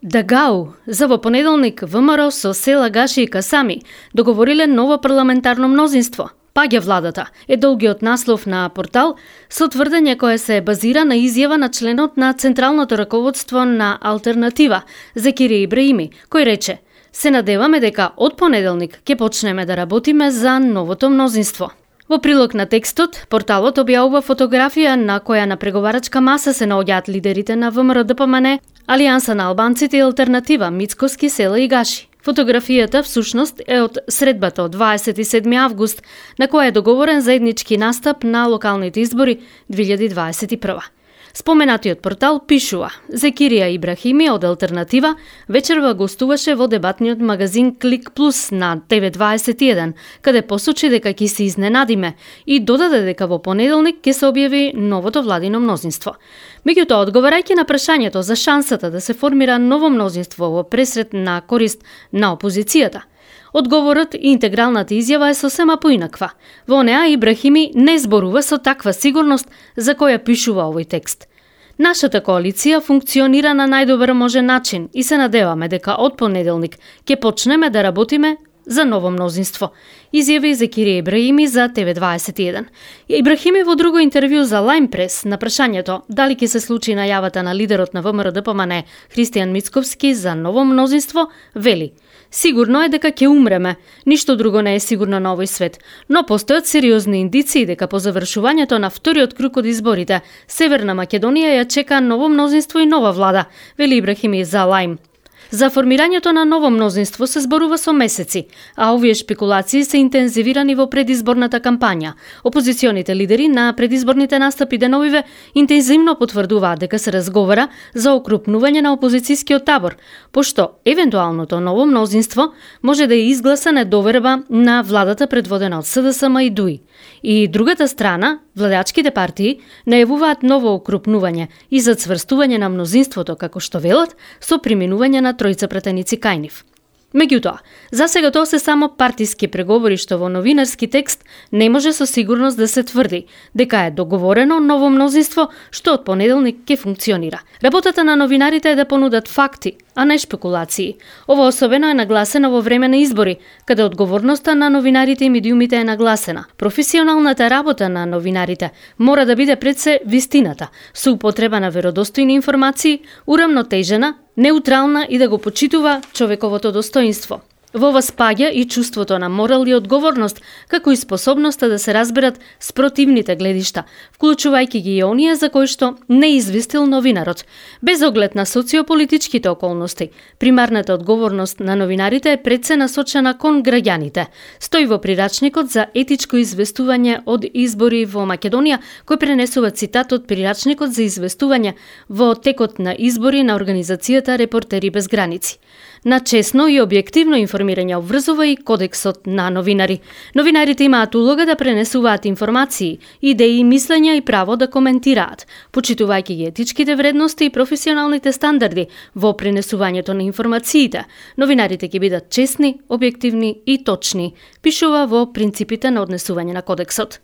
Дагау, за во понеделник ВМРО со Села Гаши и Касами договориле ново парламентарно мнозинство. Паѓа владата е долгиот наслов на портал со тврдење кое се базира на изјава на членот на Централното раководство на Алтернатива, Закири Ибраими, кој рече: "Се надеваме дека од понеделник ќе почнеме да работиме за новото мнозинство." Во прилог на текстот, порталот објавува фотографија на која на преговарачка маса се наоѓаат лидерите на ВМРО-ДПМН, Алијанса на албанците и Алтернатива, Мицкоски, Села и Гаши. Фотографијата всушност е од средбата од 27 август, на која е договорен заеднички настап на локалните избори 2021. Споменатиот портал пишува: Закирија Ибрахими од Алтернатива вечерва гостуваше во дебатниот магазин Клик Плюс на ТВ21, каде посочи дека ќе се изненадиме и додаде дека во понеделник ќе се објави новото владино мнозинство. Меѓутоа, одговарајќи на прашањето за шансата да се формира ново мнозинство во пресрет на корист на опозицијата, одговорот и интегралната изјава е сосема поинаква. Во неа Ибрахими не зборува со таква сигурност за која пишува овој текст. Нашата коалиција функционира на најдобар можен начин и се надеваме дека од понеделник ќе почнеме да работиме за ново мнозинство, изјави Закири Ибраими за ТВ21. Ибрахими во друго интервју за Лајм Прес на прашањето дали ќе се случи најавата на лидерот на ВМРО-ДПМН Христијан Мицковски за ново мнозинство, вели: "Сигурно е дека ќе умреме, ништо друго не е сигурно на овој свет, но постојат сериозни индиции дека по завршувањето на вториот круг од изборите, Северна Македонија ја чека ново мнозинство и нова влада", вели Ибрахими за Лајм. За формирањето на ново мнозинство се зборува со месеци, а овие шпекулации се интензивирани во предизборната кампања. Опозиционите лидери на предизборните настапи деновиве интензивно потврдуваат дека се разговара за окрупнување на опозицијскиот табор, пошто евентуалното ново мнозинство може да ја изгласа недоверба на владата предводена од СДСМ и ДУИ. И другата страна, владачките партии, најавуваат ново окрупнување и зацврстување на мнозинството, како што велат, со преминување на тројца пратеници кај нив. Меѓутоа, за сега тоа се само партиски преговори што во новинарски текст не може со сигурност да се тврди дека е договорено ново мнозинство што од понеделник ќе функционира. Работата на новинарите е да понудат факти, а не шпекулации. Ова особено е нагласено во време на избори, каде одговорноста на новинарите и медиумите е нагласена. Професионалната работа на новинарите мора да биде пред се вистината, со употреба на веродостојни информации, урамнотежена, неутрална и да го почитува човековото достоинство. Во ова спаѓа и чувството на морал и одговорност, како и способноста да се разберат спротивните гледишта, вклучувајќи ги и оние за кои што не известил новинарот. Без оглед на социополитичките околности, примарната одговорност на новинарите е пред се насочена кон граѓаните. Стои во прирачникот за етичко известување од избори во Македонија, кој пренесува цитат од прирачникот за известување во текот на избори на организацијата Репортери без граници. На честно и објективно информирање обврзува и кодексот на новинари. Новинарите имаат улога да пренесуваат информации, идеи, мислења и право да коментираат, почитувајќи ги етичките вредности и професионалните стандарди во пренесувањето на информациите. Новинарите ќе бидат честни, објективни и точни, пишува во принципите на однесување на кодексот.